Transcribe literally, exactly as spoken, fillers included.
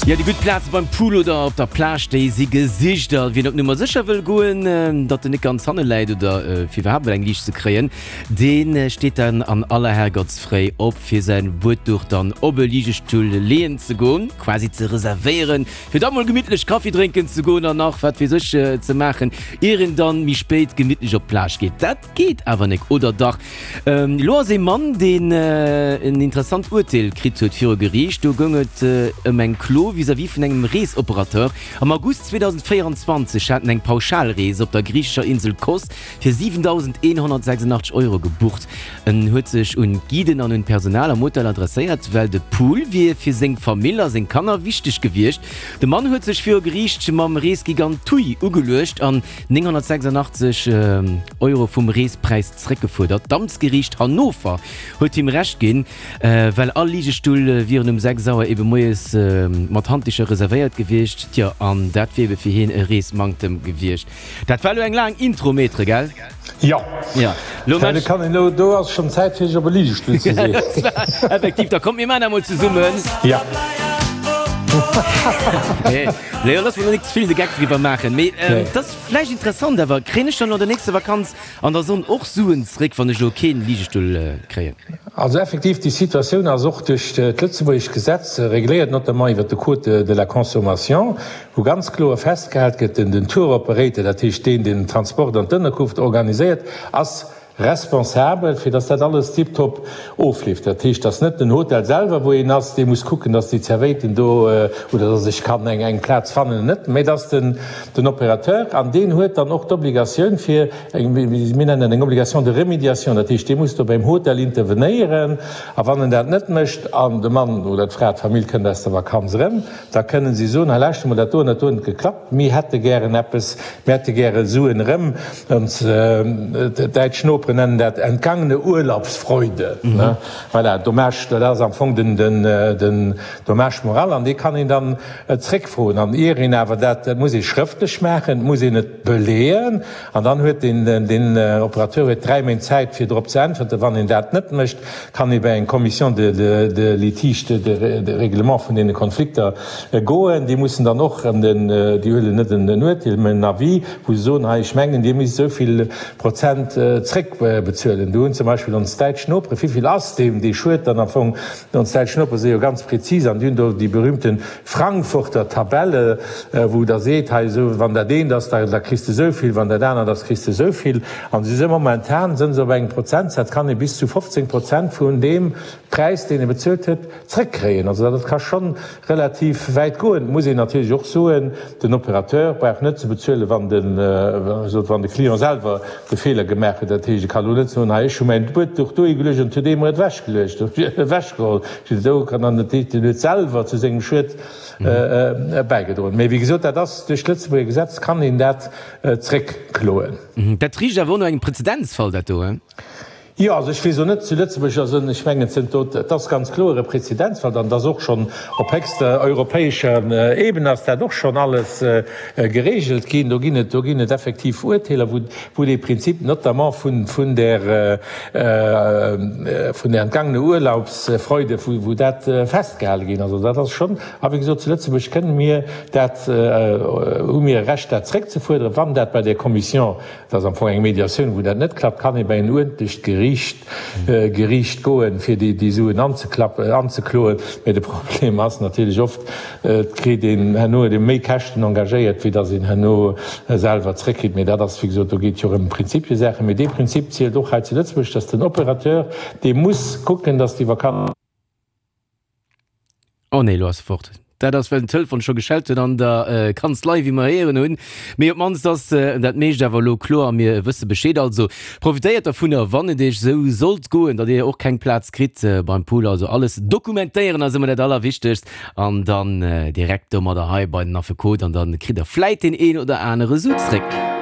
Jo, déi gutt Plaze beim Pool oder op der Plage, déi si gesicht. A wien op Nummer sécher wëll goen, datt en net ganz hanne läit oder fir iwwerhaapt mol eng Liicht ze kréien, dee steet dann an aller Herrgottsfréi op, fir säin Buedduch dann op e Ligestull leeën ze goen, quasi ze reservéieren, fir da mol gemittlech Kaffi drénken ze goen an nach wat weess ech ze maachen, ier een dann méi spéit gemittlech op d'Plage geet. Dat geet awer nek, oder dach? Elo ass ee Mann, deen en interessant Urteel kritt huet viru Geriicht. Do goung et ëm eng Klo vis-à-vis vun engem Reesoperateur. Am August zweedausendvéierundzwanzeg hat en eng Pauschalrees op der griichescher Insel Kos fir siwentausendeenhonnertsechsundachtzeg Euro gebucht. En huet sech un d'Guiden an un d'Personal am Hotel adresséiert, well de Pool wier fir seng Famill a seng Kanner wichteg gewiescht. De Mann huet sech viru Geriicht mam Reesgigant TUI ugeluecht an nénghonnertsechsundachtzeg Euro vum Reespräis zeréckgefuerdert. D'Amtsgeriicht Hannover huet him Recht ginn, well all Ligestull wieren um sechs Auer ebe moies mat Handdicher reservéiert gewiescht. Tjo, an dat wier ebe fir hien e Reesmanktem gewiescht. Dat war elo eng laang Intro, Maître, gell? Jo. Jo. Lo Mä kann een elo, do ass schonn Zäit fir sech op e Ligestull ze setzen. Effektiv, da kommt mir maachen dat mol zesummen. Jo. Nee, Léo, looss mer elo nik ze vill de Geck driwwer maachen. Mee et ass vläicht interessant awer, kréien ech dann elo an der nächster Vakanz an der Sonn och Suen zréck, wann ech elo keen Ligestull kréien? Also effektiv, déi Situatioun ass och duerch d'lëtzebuergesch Gesetz regléiert, notamment iwwert de Code de la consommation, wou ganz kloer festgehalt gëtt, den Tour operator, dat heescht deen, deen den Transport an d'Ënnerkunft organiséiert, ass responsabel, fir dass dat alles tiptop ofleeft. Dat heescht, dass net den Hotel selwer, wou een ass, dee muss kucken, dass déi Zerwéiten do oder dass ech kann eng eng Plaz fannen, net, mä dass den den Opérateur, an deen huet dann och d'Obligatioun fir eng, mir nennen dat eng Obligation de remédiation, dat heescht, dee muss do beim Hotel intervenéieren, a wann en dat net mécht an de Mann oder d'Fra, d'Famill kënnt aus der Vakanz erëm, da kënnen si soen, hei lauschter mol, dat do an dat do huet net geklappt, mir hätte gären eppes, mir hätte gäre Suen erëm. Ons däitsch Noperen nennen dat entgangene Urlaubsfreude. Voilà, Dommage, dat ass am Fong den, den Dommage moral an dee kann een dann zréckfroen. An ier een awer dat, dat muss ee schrëftlech maachen, et muss een et beleeën an dann huet deen, deen Operateur huet dräi Méint Zäit fir drop ze äntwerten. Wann een dat net mécht, kann ee bei eng Commission de, de litige, de, de règlement vun deene Konflikter goen. Déi mussen dann och erëm den, déi huelen net en Urteel, mä en Avis, wou se soen, hei ech mengen Dir misst esou vill Prozent zréckbezuelen. Do hunn zum Beispill ons däitsch Nopere, wéi vill ass deem dee Schued dann am Fong? Ons däitsch Nopere si jo ganz prezis an déi hunn do déi berühmte Frankfurter Tabelle, wou da seet, hei esou, wann dat eent ass, da da kriss de esou vill, wann dat anert ass, kriss de esou vill. An si si momentan sënn se op engem Prozentsaz, kann ee bis zu fofzéng Prozent vun deem Präis, deen ee bezuelt huet, zréckkréien. Also dat ka schonn relativ wäit goen. Et muss een natierlech och soen, den Opérateur brauch net ze bezuelen, wann de, wann de Client selwer de Feeler gemaach huet. Dat heescht, e ka lo net soen, hei ech hu mäin Buedduch dohi geluecht an et huet ee mer et ewechgeluecht, ewechgeholl. Do kann dann, dat heescht, en huet selwer zu sengem Schued bäigedroen. Mee wéi gesot, dat ass duerch d'Lëtzebuerger Gesetz kann een dat zréckkloen. Dat richt awer och no engem Prezedenzfall, dat do, he? Jo, also ech weess elo net, zu Lëtzebuerg ass en, ech mengen zënter do, et ass ganz kloer e Prezedenzfall an et ass och schonn op héchster europäescher Ebene ass dat och schonn alles geregelt ginn. Do ginn et, do ginn et effektiv Urteeler, wou, wou dee Prinzip notamment vun, vun där, vun där entgangene Urlaubsfreude, wou, wou dat festgehale ginn ass. Also dat ass schonn, a wéi gesot, zu Lëtzebuerg kënne mir dat, hu mir e Recht dat zréckzefuerderen, wann dat bei där Commission Dat ass am Fong eng Mediatioun. Wou dat net klappt, kann ee bei en uerdentlecht Geriicht Geriicht goen, fir déi déi Suen anzeklappen, anzekloen. Mä de Problem ass natierlech oft, et kritt een herno huet ee méi Käschten engagéiert, wéi datt een herno selwer zréckkritt. Mä dat ass, wéi gesot, do geet jo ëm Prinzipiesachen. Mä dee Prinzip zielt och hei zu Lëtzebuerg, datt den Opérateur, dee muss kucken, datt déi Vakanz. Oh nee, lo ass e fort. Dat ass well den Telefon scho geschellt huet an der Kanzlei, wéi mer héieren hunn. Mee op d'mannst ass dat meescht awer elo kloer a mir wësse Bescheed. Also profitéiert dervunner, wann et iech esou sollt goen, datt dir och keng Plaz kritt beim Pool. Also alles dokumentéieren ass ëmmer dat Allerwichtegst an dann direkt domadder hei bei den Affekot an dann kritt der vläit deen een oder anere Su zréck.